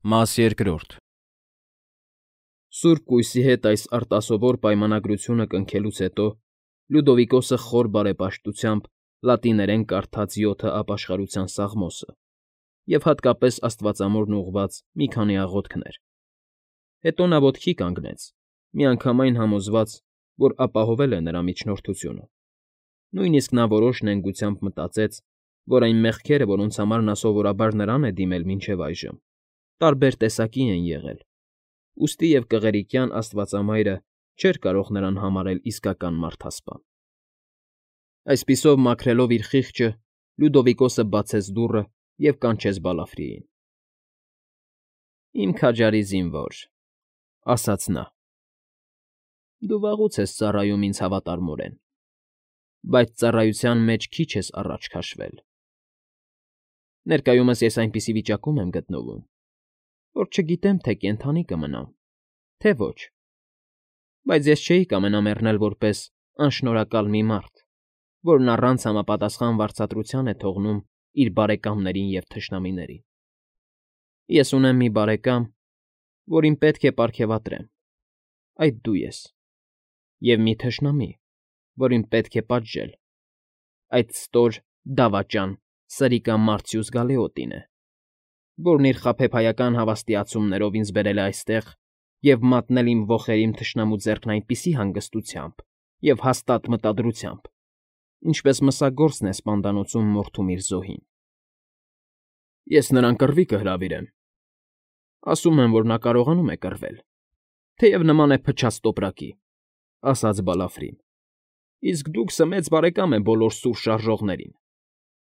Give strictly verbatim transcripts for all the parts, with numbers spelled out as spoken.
Մաս երկրորդ Սուրբ կույսի հետ այս արտասովոր պայմանագրությունը կնքելուց հետո Լյուդովիկոսը խոր բարեպաշտությամբ լատիներեն կարդաց յոթը ապաշխարության սաղմոսը և հատկապես աստվածամորն ուղղված մի քանի աղոթքներ. հետո նա ոտքի կանգնեց, միանգամայն համոզված, որ ապահովել է նրա միջնորդությունը, նույնիսկ նա որոշ նենգությամբ մտածեց, որ այն մեղքերը, որոնց համար նա սովորաբար նրան է դիմել մինչև այժմ, տարբեր տեսակի են եղել, ուստի և կղերիկյան աստվածամայրը չէր կարող նրան համարել իսկական մարդասպան։ Այսպիսով մաքրելով իր խիղճը, Լյուդովիկոսը բացեց դուռը և կանչեց Բալաֆրիին։ ֊ Իմ քաջարի զինվոր,֊ ասաց նա,֊ դու վաղուց ես ծառայում ինձ հավատարմորեն, բայց ծառայության մեջ քիչ ես առաջ քաշվել. ներկայումս ես այնպիսի վիճակում եմ գտնվում, որ չգիտեմ, թե կենդանի կմնամ, թե ոչ, բայց ես չէի կամենա մեռնել որպես անշնորհակալ մի մարդ, որն առանց համապատասխան վարձատրության է թողնում իր բարեկամներին և թշնամիներին։ Ես ունեմ մի բարեկամ, որին պետք է պարգևատրեմ, այդ դու ես, և մի թշնամի, որին պետք է պատժել, այդ ստոր, դավաճան, սրիկա Մարցյուս Գալեոտին է, որն իր խաբեբայական հավաստիացումներով ինձ բերել է այստեղ և մատնել իմ ոխերիմ թշնամու ձեռքն այնպիսի հանգստությամբ և հաստատ մտադրությամբ, ինչպես մսագործն է սպանդանոցում մորթում իր զոհին։ Ես նրան կռվի կհրավիրեմ, ասում են, որ նա կարողանում է կռվել, թեև նման է փչած տոպրակի, ֊ ասաց Բալաֆրին, ֊ իսկ դուք սմեծ բարեկամ է բոլոր սուր շարժողներին։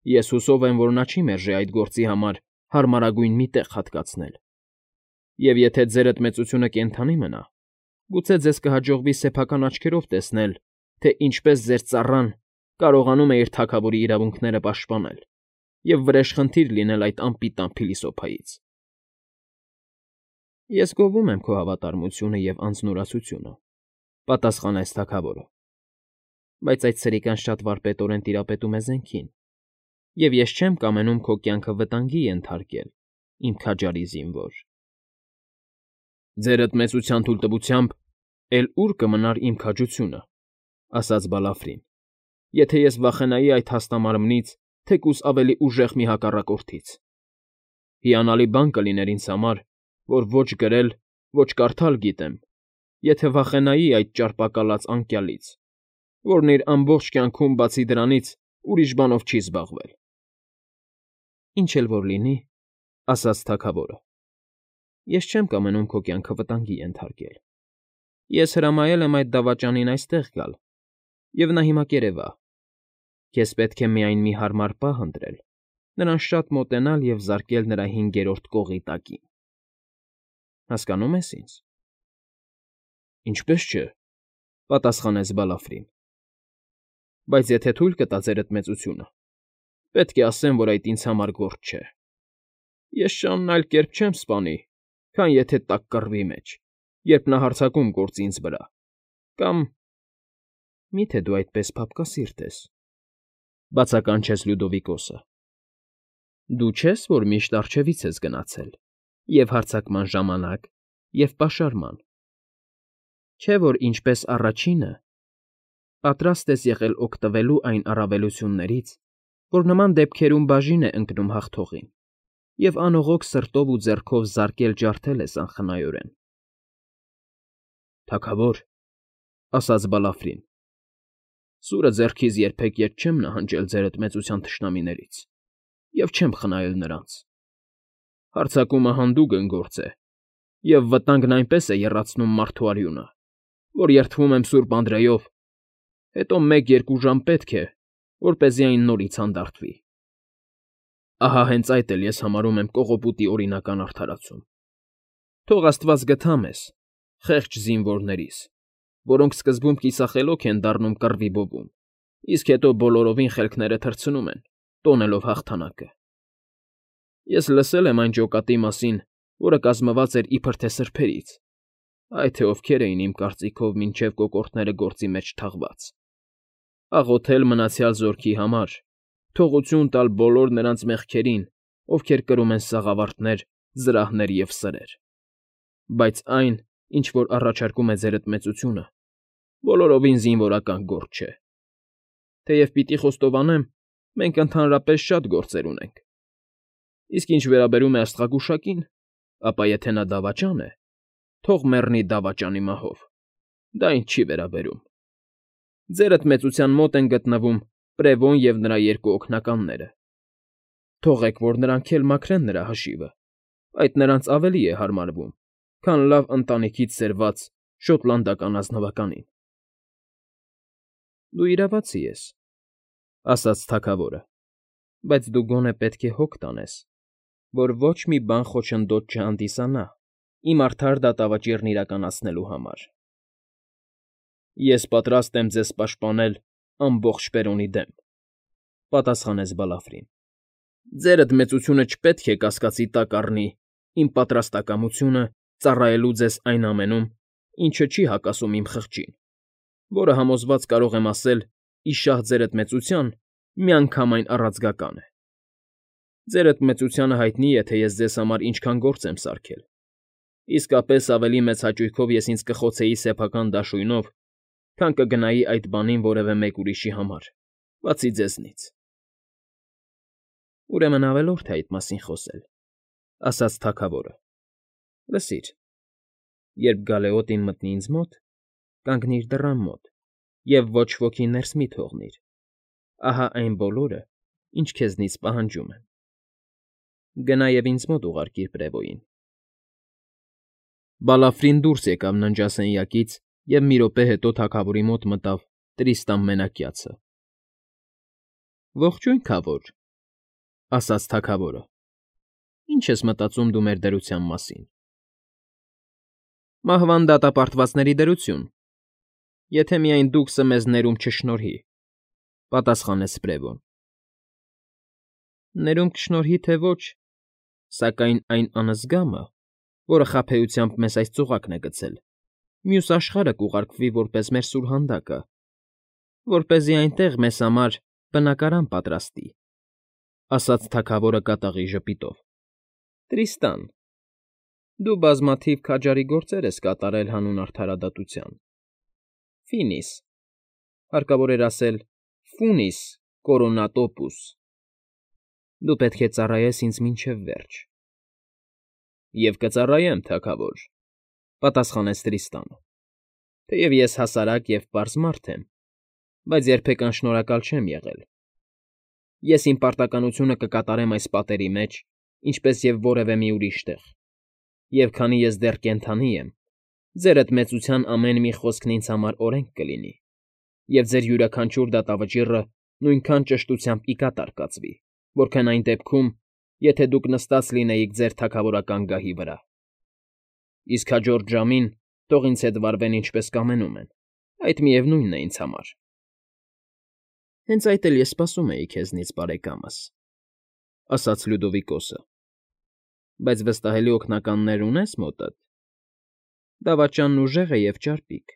Ես հուսով եմ, որ նա չի մերժի այդ գործի համար հարմարագույն մի տեղ հատկացնել, և եթե ձերդ մեծությունը կենդանի մնա, գուցե ձեզ կհաջողվի սեփական աչքերով տեսնել, թե ինչպես ձեր ծառան կարողանում է իր թագավորի իրավունքները պաշտպանել և վրեժխնդիր լինել այդ անպիտան փիլիսոփայից։ ֊ Ես գովում եմ քո հավատարմությունը և անձնուրացությունը,֊ պատասխանեց թագավորը,֊ բայց այդ սրիկան շատ վարպետորեն տիրապետում է զենքին, և ես չեմ կամենում քո կյանքը վտանգի ենթարկել, իմ քաջարի զինվոր։ ֊ Ձերդ մեծության թույլտվությամբ էլ ուր կմնար իմ քաջությունը,֊ ասաց Բալաֆրին,֊ եթե ես վախենայի այդ հաստամարմնից, թեկուզ ավելի ուժեղ մի հակառակորդից։ Հիանալի բան կլիներ ինձ համար, որ ոչ գրել, ոչ կարդալ գիտեմ, եթե վախենայի այդ ճարպակալած անկյալից, որն իր ամբողջ կյանքում բացի դրանից ուրիշ բանով չի զբաղվել։ ֊ Ինչ էլ որ լինի,֊ ասաց թագավորը,֊ ես չեմ կամենում քո կյանքը վտանգի ենթարկել։ Ես հրամայել եմ այդ դավաճանին այստեղ գալ, և նա հիմա կերևա։ Քեզ պետք է միայն մի հարմար պահ ընտրել, նրան շատ մոտենալ և զարկել նրա հինգերորդ կողի տակին։ Հասկանո՞ւմ ես ինձ։ ֊ Ինչպես չէ,֊ պատասխանեց Բալաֆրին,֊ բայց եթե թույլ կտա ձերդ մեծությունը, պետք է ասեմ, որ այդ ինձ համար գործ չէ։ Ես շանն այլ կերպ չեմ սպանի, քան եթե տաք կռվի մեջ, երբ նա հարձակում գործի ինձ վրա, կամ… ֊ Մի՞թե դու այդպես փափկասիրտ ես,֊ բացականչեց Լյուդովիկոսը,֊ դու չես, որ միշտ առջևից ես գնացել և՛ հարձակման ժամանակ, և՛ պաշարման, չէ՞ որ ինչպես առաջինը, պատրաստ ես եղել օգտվելու այն առավելություններից, որ նման դեպքերում բաժին է ընկնում հաղթողին, և անողոք սրտով ու ձեռքով զարկել ջարդել ես անխնայորեն։ ֊ Թագավոր,֊ ասաց Բալաֆրին,֊ սուրը ձեռքիս երբեք ետ չեմ նահանջել ձերդ մեծության թշնամիներից և չեմ խնայել նրանց։ Հարձակումը հանդուգն գործ է, և վտանգն այնպես է եռացնում մարդու արյունը, որ երդվում եմ սուրբ Անդրեով, հետո մեկ֊երկու ժամ պետք է, որպեսզի այն նորից հանդարտվի։ Ահա հենց այդ էլ ես համարում եմ կողոպուտի օրինական արդարացում։ Թող աստված գթա մեզ, խեղճ զինվորներիս, որոնք սկզբում կիսախելոք են դառնում կռվի բովում, իսկ հետո բոլորովին խելքները թռցնում են, տոնելով հաղթանակը։ Ես լսել եմ այն ջոկատի մասին, որը կազմված էր իբրև թե սրբերից, այ թե ովքեր էին իմ կարծիքով մինչև կոկորդները գործի մեջ թաղված, աղոթել մնացյալ զորքի համար, թողություն տալ բոլոր նրանց մեղքերին, ովքեր կրում են սաղավարտներ զրահներ և սրեր, բայց այն, ինչ որ առաջարկում է ձերդ մեծությունը, բոլորովին զինվորական գործ չէ. թեև պիտի խոստովանեմ, մենք ընդհանրապես շատ գործեր ունենք, իսկ ինչ վերաբերում է աստղագուշակին, ապա եթե նա դավաճան է, թող մեռնի դավաճանի մահով, դա ինձ չի վերաբերում. ձերդ մեծության մոտ են գտնվում Պրևոն և նրա երկու օգնականները. թողեք, որ նրանք էլ մաքրեն նրա հաշիվը, այդ նրանց ավելի է հարմարվում, քան լավ ընտանիքից սերված շոտլանդական ազնվականին։ ֊ Դու իրավացի ես,֊ ասաց թագավորը,֊ բայց դու գոնե պետք է հոգ տանես, որ ոչ մի բան խոչընդոտ չհանդիսանա իմ արդար դատավճիռն իրականացնելու համար։ ֊ Ես պատրաստ եմ ձեզ պաշտպանել ամբողջ Պերոնի դեմ,֊ պատասխանեց Բալաֆրին։ ֊ Ձերդ մեծությունը չպետք է կասկածի տակ առնի իմ պատրաստակամությունը ծառայելու ձեզ այն ամենում, ինչը չի հակասում իմ խղճին, որը, համոզված կարող եմ ասել, ի շահ ձերդ մեծության, միանգամայն առանցքական է։ Ձերդ մեծությանը հայտնի է, թե ես ձեզ համար ինչքան գործ եմ սարքել, իսկապես ավելի մեծ հաճույքով ես ինձ կխոցեի սեփական դաշույնով, քան կգնայի այդ բանին որևէ մեկ ուրիշի համար, բացի ձեզնից։ ֊ Ուրեմն ավելորդ է այդ մասին խոսել,֊ ասաց թագավորը։ ֊ Լսիր, երբ գալեոտին մտնի ինձ մոտ, կանգնիր դռան մոտ և ոչ ոքի ներս մի թողնիր. ահա այն բոլորը, ինչ քեզնից պահանջում եմ. գնա և ինձ մոտ ուղարկիր Պրևոյին։ Բալաֆրին դուրս եկավ ննջասենյակից և մի րոպե հետո թագավորի մոտ մտավ Տրիստան Մենակյացը։ ֊ Ողջույն, քավոր,֊ ասաց թագավորը։֊ Ի՞նչ ես մտածում դու մեր դրության մասին։ ֊ Մահվան դատապարտվածների դրություն, եթե միայն դուքսը մեզ ներում չշնորհի,֊ պատասխանեց Պրևոն։ ֊ Ներում կշնորհի, թե ոչ, սակայն այն անզգամը, որը խաբեությամբ մեզ այս ծուղակն է գցել, մյուս աշխարհը կուղարկվի որպես մեր սուրհանդակը, որպեսզի այնտեղ մեզ համար բնակարան պատրաստի,֊ ասաց թագավորը կատաղի ժպիտով։ ֊ Տրիստան, դու բազմաթիվ քաջարի գործեր ես կատարել հանուն արդարադատության, Ֆինիս, հարկավոր էր ասել Ֆունիս կորոնատոպուս, դու պետք է ծառայես ինձ մինչև վերջ։ ֊ Եվ կծառայեմ, թագավոր,֊ պատասխանեց Տրիստանը,֊ թեև ես հասարակ և պարզ մարդ եմ, բայց երբեք անշնորհակալ չեմ եղել։ Ես իմ պարտականությունը կկատարեմ այս պատերի մեջ, ինչպես և որևէ մի ուրիշ տեղ, և քանի ես դեռ կենդանի եմ, ձերդ մեծության ամեն մի խոսքն ինձ համար օրենք կլինի, և ձեր յուրաքանչյուր դատավճիռը նույնքան ճշտությամբ ի կատար կացվի, որքան այն դեպքում, եթե դուք նստած լինեիք ձեր թագավորական գահի վրա։ Իսկ հաջորդ ժամին թող ինձ հետ վարվեն ինչպես կամենում են, այդ միևնույնն է ինձ համար։ ֊ Հենց այդ էլ ես սպասում էի քեզնից, բարեկամս,֊ ասաց Լյուդովիկոսը,֊ բայց վստահելի օգնականներ ունե՞ս մոտդ։ Դավաճանն ուժեղ է և ճարպիկ,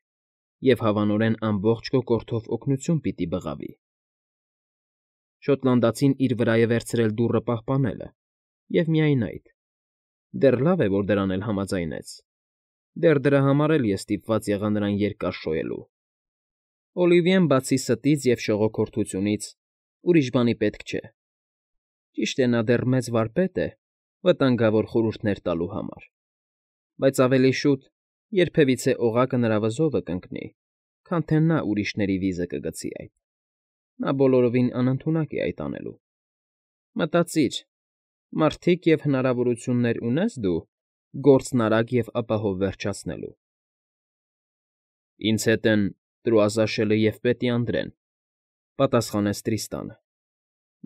և հավանորեն ամբողջ քո կորթով օգնություն պիտի բղավի։ Շոտլանդացին իր վրա է վերցրել դուռը պահպանելը, և միայն այդ. դեռ լավ է, որ դրան էլ համաձայնեց, դեռ դրա համար էլ ես ստիպված եղա նրան երկար շոյելու։ Օլիվիեն, բացի ստից և շողոքորթությունից, ուրիշ բանի պետք չէ։ Ճիշտ է, նա դեռ մեծ վարպետ է վտանգավոր խորհուրդներ տալու համար, բայց ավելի շուտ երբևիցե օղակը նրա վզովը կընկնի, քան թե նա ուրիշների վիզը կգցի այդ. նա բոլորովին անընդունակ է այդ անելու։ Մտածիր, մարդիկ և հնարավորություններ ունե՞ս դու գործն արագ և ապահով վերջացնելու։ ֊ Ինձ հետ են Տրուազաշելը և պետի Անդրեն,֊ պատասխանեց Տրիստանը։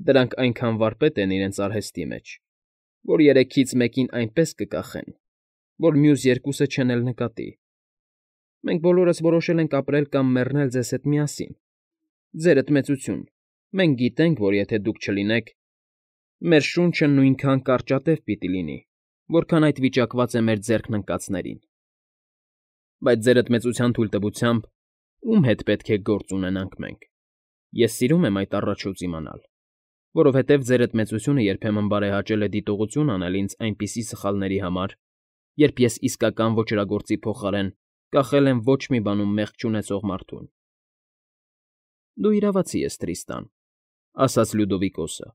Դրանք այնքան վարպետ են իրենց արհեստի մեջ, որ երեքից մեկին այնպես կկախեն, որ մյուս երկուսը չեն էլ նկատի։ Մենք բոլորս որոշել ենք ապրել կամ մեռնել ձեզ հետ միասին, ձերդ մեծություն, մենք գիտենք, որ եթե դուք չլինեք, մեր շունչը նույնքան կարճատև պիտի լինի, որքան այդ վիճակված է մեր ձեռքն ընկածներին։ Բայց ձերդ մեծության թույլտվությամբ ում հետ պետք է գործ ունենանք մենք, ես սիրում եմ այդ առաջուց իմանալ, որովհետև ձերդ մեծությունը երբեմն բարեհաճել է դիտողություն անել ինձ այնպիսի սխալների համար, երբ ես իսկական ոճրագործի փոխարեն կախել եմ ոչ մի բանում մեղք չունեցող մարդուն։ ֊ Դու իրավացի ես, Տրիստան,֊ ասաց Լյուդովիկոսը։֊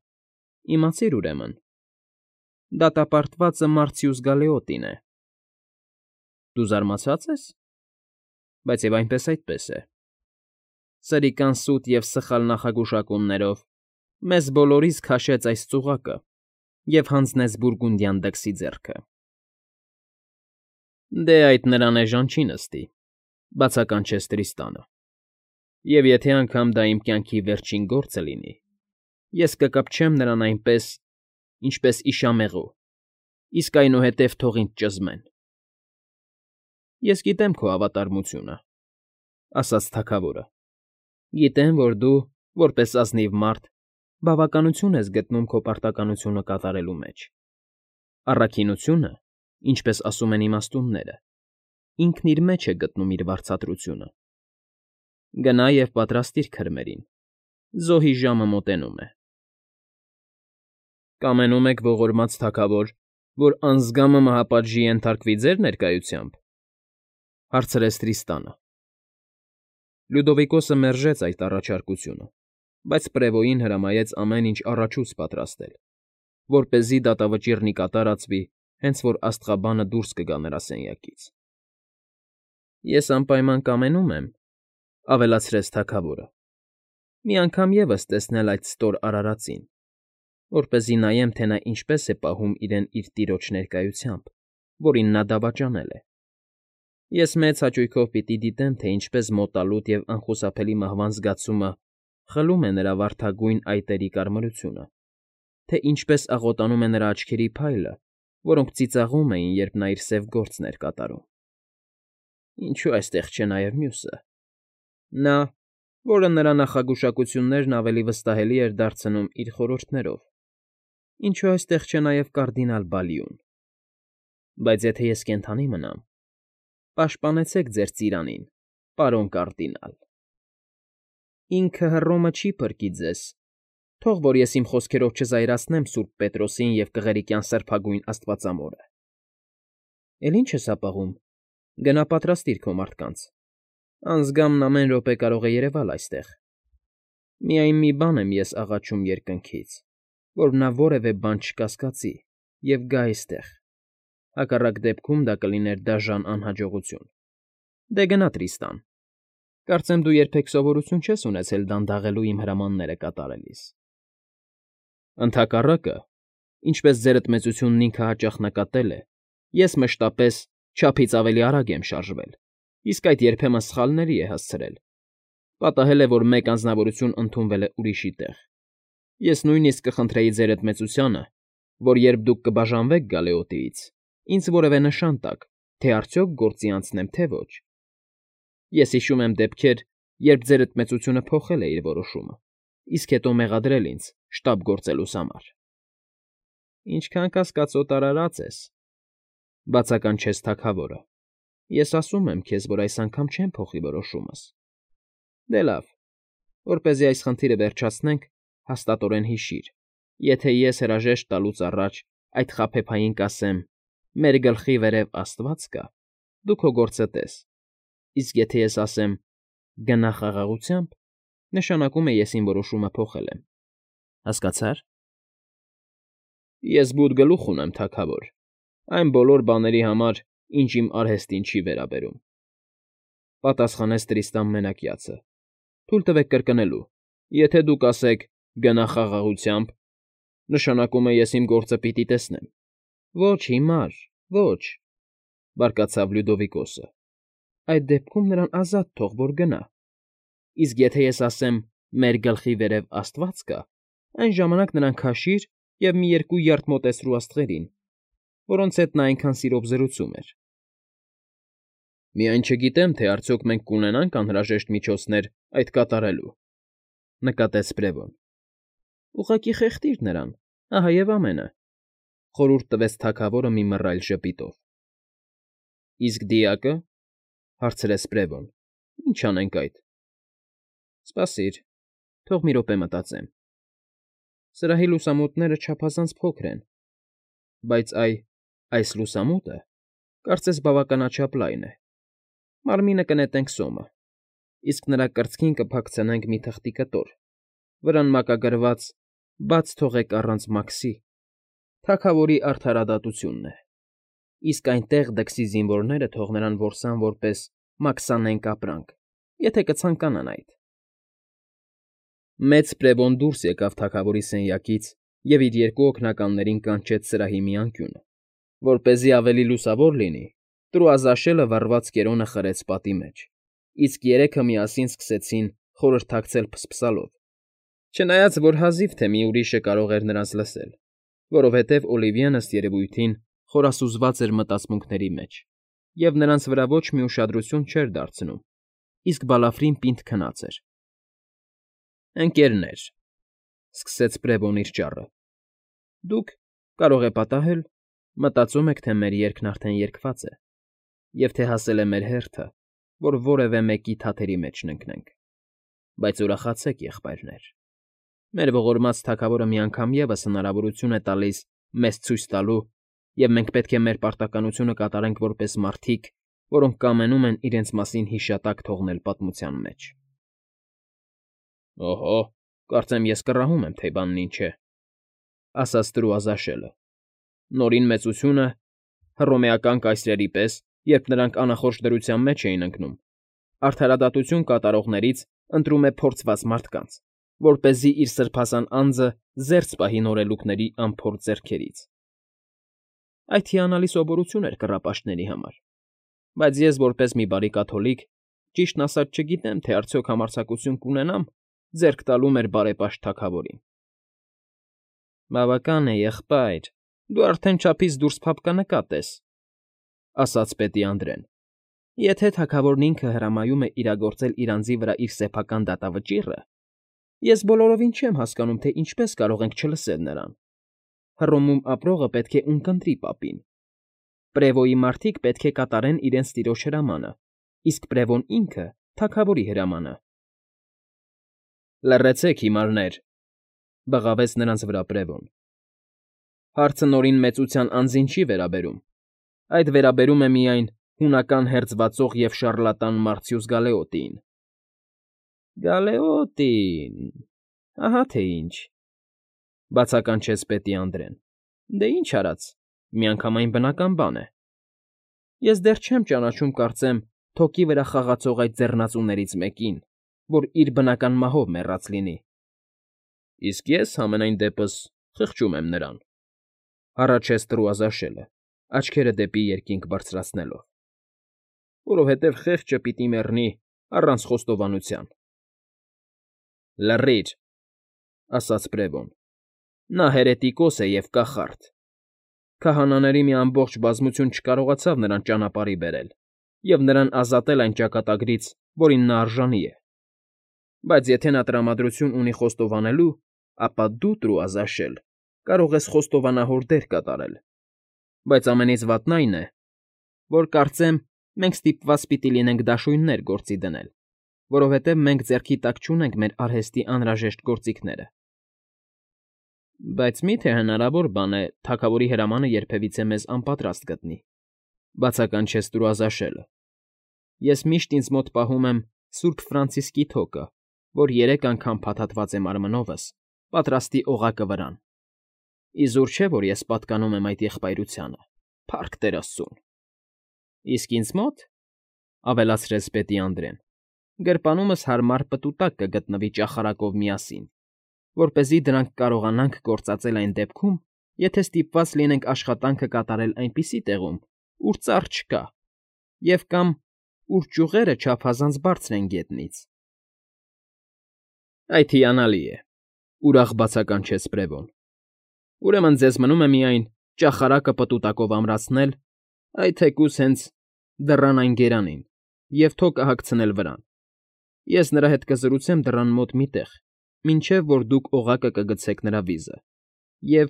Իմացիր, ուրեմն, դատապարտվածը Մարցիուս Գալեոտին է։ ֊ Դու զարմացա՞ծ ես։ Բայց և այնպես այդպես է։ Սրիկան սուտ և սխալ նախագուշակումներով մեզ բոլորիս քաշեց այս ծուղակը և հանձնեց բուրգունդյան դքսի ձեռքը։ ֊ Դե, այդ նրան էժան չի նստի,֊ բացականչեց Տրիստանը,֊ և եթե անգամ դա իմ կյանքի վերջին գործը լինի, ես կկպչեմ նրան այնպես, ինչպես իշամեղու, իսկ այնուհետև թող ինձ ճզմեն։ ֊ Ես գիտեմ քո հավատարմությունը,֊ ասաց թագավորը,֊ գիտեմ, որ դու, որպես ազնիվ մարդ, բավականություն ես գտնում քո պարտականությունը կատարելու մեջ։ Առաքինությունը, ինչպես ասում են իմաստունները, ինքն իր մեջ է գտնում իր վարձատրությունը։ Գնա և պատրաստիր քրմերին, զոհի ժամը մոտենում է։ ֊ Կամենում եք, ողորմած թագավոր, որ անձգամը մահապատժի ենթարկվի ձեր ներկայությամբ,֊ հարցրեց Տրիստանը։ Լյուդովիկոսը մերժեց այդ առաջարկությունը, բայց Պրևոյին հրամայեց ամեն ինչ առաջուց պատրաստել, որպեսզի դատավճիռն ի կատար ածվի, հենց որ աստղաբանը դուրս կգա նրա սենյակից։ ֊ Ես անպայման կամենում եմ,֊ ավելացրեց թագավորը,֊ մի անգամ ևս տեսնել այդ ստոր արարածին, որպեսզի նայեմ, թե նա ինչպես է պահում իրեն իր տիրոջ ներկայությամբ, որին նա դավաճանել է։ Ես մեծ հաճույքով պիտի դիտեմ, թե ինչպես մոտալուտ և անխուսափելի մահվան զգացումը խլում է նրա վարդագույն այտերի կարմրությունը, թե ինչպես աղոտանում է նրա աչքերի փայլը, որոնք ծիծաղում էին, երբ նա իր սև գործն էր կատարում։ Ինչո՞ւ այստեղ չէ նաև մյուսը։ Նա, որը նրա նախագուշակություններն ավելի վստահելի էր դարձնում իր խորհուրդներով։ Ինչո՞ւ այստեղ չէ նաև կարդինալ Բալիուն։ Բայց եթե ես կենդանի մնամ, պաշտպանեցեք ձեր ծիրանին, պարոն կարդինալ։ Ինքը Հռոմը չի փրկի ձեզ, թող որ ես իմ խոսքերով չզայրացնեմ սուրբ Պետրոսին և կղերիկյան սրբագույն աստվածամորը։ Էլ ի՞նչ ես ապաղում, գնա պատրաստիր քո մարդկանց, անձգամն ամեն րոպե կարող է երևալ այստեղ։ Միայն մի բան եմ ես աղաչում երկնքից, որ նա որևէ բան չկասկածի և գա այստեղ, հակառակ դեպքում դա կլիներ դաժան անհաջողություն։ Դե գնա, Տրիստան, կարծեմ դու երբեք սովորություն չես ունեցել դանդաղելու իմ հրամանները կատարելիս։ Ընդհակառակը, ինչպես ձերդ մեծությունն ինքը հաճախ նկատել է, ես մշտապես չափից ավելի արագ եմ շարժվել, իսկ այդ երբեմն սխալների է հասցրել. պատահել է, որ մեկ անձնավորություն ընդունվել է ուրիշի տեղ։ Ես նույնիսկ կխնդրեի ձերդ մեծությանը, որ երբ դուք կբաժանվեք Գալեոտիից, ինձ որևէ նշան տաք, թե արդյոք գործի անցնեմ, թե ոչ։ Ես հիշում եմ դեպքեր, երբ ձերդ մեծությունը փոխել է իր որոշումը, իսկ հետո մեղադրել ինձ շտապ գործելուս համար։ ֊ Ինչքան կասկածոտ արարած ես,֊ բացականչեց թագավորը,֊ ես ասում եմ քեզ, որ այս անգամ չեմ փոխի որոշումս։ Դե լավ, որպեսզի այս խնդիրը վերջացնենք, հաստատորեն հիշիր, եթե ես հրաժեշտ տալուց առաջ այդ խաբեբային կասեմ. «Մեր գլխի վերև Աստված կա», դու քո գործը տես, իսկ եթե ես ասեմ. «Գնա խաղաղությամբ», նշանակում է ես իմ որոշումը փոխել եմ։ Հասկացա՞ր։ ֊ Ես բութ գլուխ ունեմ, թագավոր, այն բոլոր բաների համար, ինչ իմ արհեստին չի վերաբերում,֊ պատասխանեց Տրիստան Մենակյացը։ ֊ Թույլ տվեք կրկնելու. եթե դուք ասեք. «Գնա խաղաղությամբ», նշանակում է ես իմ գործը պիտի տեսնեմ։ ֊ Ոչ, հիմար, ոչ,֊ բարկացավ Լյուդովիկոսը,֊ այդ դեպքում նրան ազատ թող, որ գնա։ Իսկ եթե ես ասեմ. «Մեր գլխի վերև Աստված կա», այն ժամանակ նրան քաշիր և մի երկու յարդ մոտեցրու աստղերին, որոնց հետ նա այնքան սիրով զրուցում էր։ ֊ Միայն չգիտեմ, թե արդյոք մենք կունենա՞նք անհրաժեշտ միջոցներ այդ կատարելու,֊ նկատեց Բրևոն։ ֊ Ուղղակի խեղդիր նրան, ահա և ամենը,֊ խորհուրդ տվեց թագավորը մի մռայլ ժպիտով։ ֊ Իսկ դիակը,֊ հարցրեց Բրևոն,֊ ի՞նչ անենք այդ։ ֊ Սպասիր, թող մի րոպե մտածեմ։ Սրահի լուսամուտները չափազանց փոքր են, բայց այ այս լուսամուտը, կարծես բավականաչափ լայն է, մարմինը կնետենք սոմը, իսկ նրա կրծքին կփակցնենք մի թղթի կտոր, վրան մակագրված «Բաց թողեք առանց Մաքսի», թագավորի արդարադատությունն է, իսկ այնտեղ դքսի զինվորները թող նրան որսան որպես մաքսանենգ ապրանք, եթե կցանկանան այդ… Մեծ Պրևոն դուրս եկավ թագավորի սենյակից և իր երկու օգնականներին կանչեց սրահի մի անկյունը, որպեսզի ավելի լուսավոր լինի, Տրուազաշելը վառված կերոնը խրեց պատի մեջ, իսկ երեքը միասին սկսեցին խորհրդակցել փսփսալով, չնայած որ հազիվ թե մի ուրիշը կարող էր նրանց լսել, որովհետև Օլիվիեն, ըստ երևույթին, խորասուզված էր մտածմունքների մեջ և նրանց վրա ոչ մի ուշադրություն չէր դարձնում, իսկ Բալաֆրին պինդ քնած էր։ ֊ Ընկ.… սկսեց Պրևոն իր ճառը, դուք, կարող է պատահել, մտածում եք, թե մեր երգն արդեն երգված է և թե հասել է մեր հերթը, որ որևէ մեկի թաթերի մեջ ընկնենք, բայց ուրախացեք, եղբայրներ, մեր ողորմած թագավորը մի անգամ ևս հնարավորություն է տալիս մեզ ցույց տալու, և մենք պետք է մեր պարտականությունը կատարենք որպես մարդիկ, որոնք կամենում են իրենց մասին հիշատակ թողնել պատմության մեջ։ ֊ Օհո, կարծեմ ես կռահում եմ, թե բանն ինչ է,֊ ասաց Տրուազաշելը,֊ Նորին մեծությունը, հռոմեական կայսրերի պես, երբ նրանք անախորժ դրության մեջ էին ընկնում, արդարադատություն կատարողներից ընտրում է փորձված մարդկանց, որպեսզի իր սրբազան անձը զերծ պահի նորելուկների անփորձ ձեռքերից… Այդ հիանալի սովորություն էր կռապաշտների համար, բայց ես, որպես մի բարի կաթոլիկ, ճիշտն ասած չգիտեմ, թե արդյոք համարձակություն կունենամ ձեռք տալու մեր բարեպաշտ թագավորին։ ֊ Բավական է, եղբայր, դու արդեն չափից դուրս փափկանկատ ես,֊ ասաց պետի անդրեն,֊ եթե թագավորն ինքը հրամայում է իրագործել իր անձի վրա իր սեփական դատավճիռը, ես բոլորովին չեմ հասկանում, թե ինչպես կարող ենք չլսել նրան… Հռոմում ապրողը պետք է ունկնդրի պապին, Պրևոյի մարդիկ պետք է կատարեն իրենց տիրոջ հրամանը, իսկ Պրևոն ինքը՝ թագավորի հրամանը։ ֊ Լռեցեք, հիմարներ,֊ բղավեց նրանց վրա Պրևոն,֊ հարցը Նորին մեծության անձին չի վերաբերում, այդ վերաբերում է միայն հունական հերձվածող և շառլատան Մարցյուս Գալեոտիին։ ֊ Գալեոտի՜ն… Ահա թե ինչ,֊ բացականչեց պետի անդրեն։֊ Դե ինչ արած, միանգամայն բնական բան է… Ես դեռ չեմ ճանաչում, կարծեմ, թոկի վրա խաղացող այդ ձեռնածուներից մեկին, որ իր բնական մահով մեռած լինի։ ֊ Իսկ ես, համենայն դեպս, խղճում եմ նրան,֊ հառաչեց Տրուազաշելը, աչքերը դեպի երկինք բարձրացնելով,֊ որովհետև խեղճը պիտի մեռնի առանց խոստովանության։ ֊ Լռիր,֊ ասաց Պրևոն,֊ նա հերետիկոս է և կախարդ… Քահանաների մի ամբողջ բազմություն չկարողացավ նրան ճանապարհի բերել և նրան ազատել այն ճակատագրից, որին նա արժանի է… Բայց եթե նա տրամադրություն ունի խոստովանելու, ապա դու, Տրուազաշել, կարող ես խոստովանահոր դեր կատարել… Բայց ամենից վատն այն է, որ կարծեմ մենք ստիպված պիտի լինենք դաշույններ գործի դնել, որովհետև մենք ձեռքի տակ չունենք մեր արհեստի անհրաժեշտ գործիքները։ ֊ Բայց մի՞թե հնարավոր բան է թագավորի հրամանը երբևիցե մեզ անպատրաստ գտնի,֊ բացականչեց Տրուազաշելը։֊ Ես միշտ ինձ մոտ պահում եմ Սուրբ Ֆրանցիսկի թոկը, որ երեք անգամ փաթաթված է մարմնովս, պատրաստի օղակը վրան… Իզուր չէ, որ ես պատկանում եմ այդ եղբայրությանը, փառք Տեր աստծուն… ֊ Իսկ ինձ մոտ,֊ ավելացրեց պետի անդրեն,֊ գրպանումս հարմար պտուտակ կգտնվի ճախարակով միասին, որպեսզի դրանք կարողանանք գործածել այն դեպքում, եթե ստիպված լինենք աշխատանքը կատարել այնպիսի տեղում, ուր ծառ չկա, և կամ ուր ճյուղերը չափազանց բարձր են գետնից։ ֊ Այդ հիանալի է,֊ ուրախ բացականչեց Պրևոն,֊ Ուրեմն ձեզ մնում է միայն ճախարակը պտուտակով ամրացնել, այ թեկուզ հենց դռան այն գերանին, և թոկը հագցնել վրան… Ես նրա հետ կզրուցեմ դռան մոտ մի տեղ, մինչև որ դուք օղակը կգցեք նրա վիզը, և…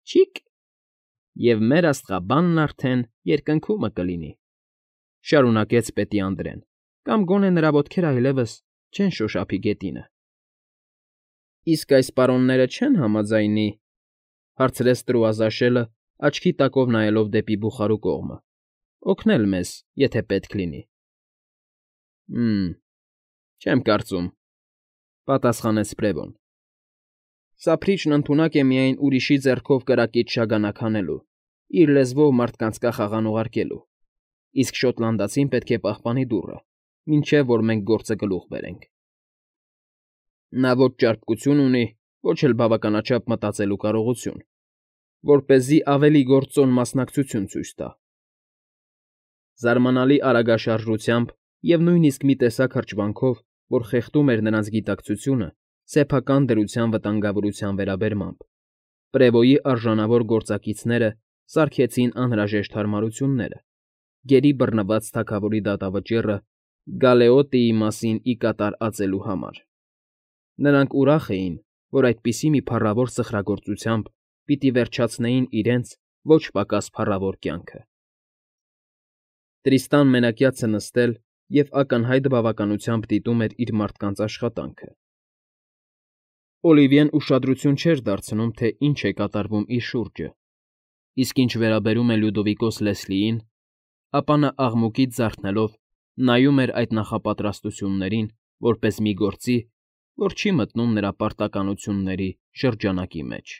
Չի՛կ… և մեր աստղաբանն արդեն երկնքումը կլինի,֊ շարունակեց պետի անդրեն, կամ գոնե նրա ոտքերը այլևս չեն շոշափի գետինը։ Իսկ այս պարոնները չե՞ն համաձայնի,֊ հարցրեց Տրուազաշելը, աչքի տակով նայելով դեպի բուխարու կողմը,֊ օգնել մեզ, եթե պետք լինի։ ֊ Հը՜մ, չեմ կարծում,֊ պատասխանեց Բրևոն։ Սափրիչն ընդունակ է միայն ուրիշի ձեռքով կրակից շագանակ հանելու, իր լեզվով մարդկանց կախաղան ուղարկելու, իսկ շոտլանդացին պետք է պահպանի դուռը, մինչև որ մենք գործը գլուխ բերենք։ Նա ոչ ճարպկություն ունի, ոչ էլ բավականաչափ մտածելու կարողություն, որպեսզի ավելի գործոն մասնակցություն ցույց տա։ Զարմանալի արագաշարժությամբ և նույնիսկ մի տեսակ հրճվանքով, որ խեղդում էր նրանց գիտակցությունը սեփական դրության վտանգավորության վերաբերմամբ, Պրևոյի արժանավոր գործակիցները սարքեցին անհրաժեշտ հարմարությունները՝ գերի բռնված թագավորի դատավճիռը Գալեոտիի մասին ի կատար ածելու համար։ Նրանք ուրախ էին, որ այդպիսի մի փառավոր սխրագործությամբ պիտի վերջացնեին իրենց ոչ պակաս փառավոր կյանքը։ Տրիստան մենակյացը նստել և ակնհայտ բավականությամբ դիտում էր իր մարդկանց աշխատանքը։ Օլիվիեն ուշադրություն չէր դարձնում, թե ինչ է կատարվում իր շուրջը, իսկ ինչ վերաբերում է Լյուդովիկոս Լեսլիին, ապա նա աղմուկից զարթնելով նայում էր այդ նախապատրաստություններին որպես մի գործի, որ չի մտնում նրա պարտականությունների շրջանակի մեջ։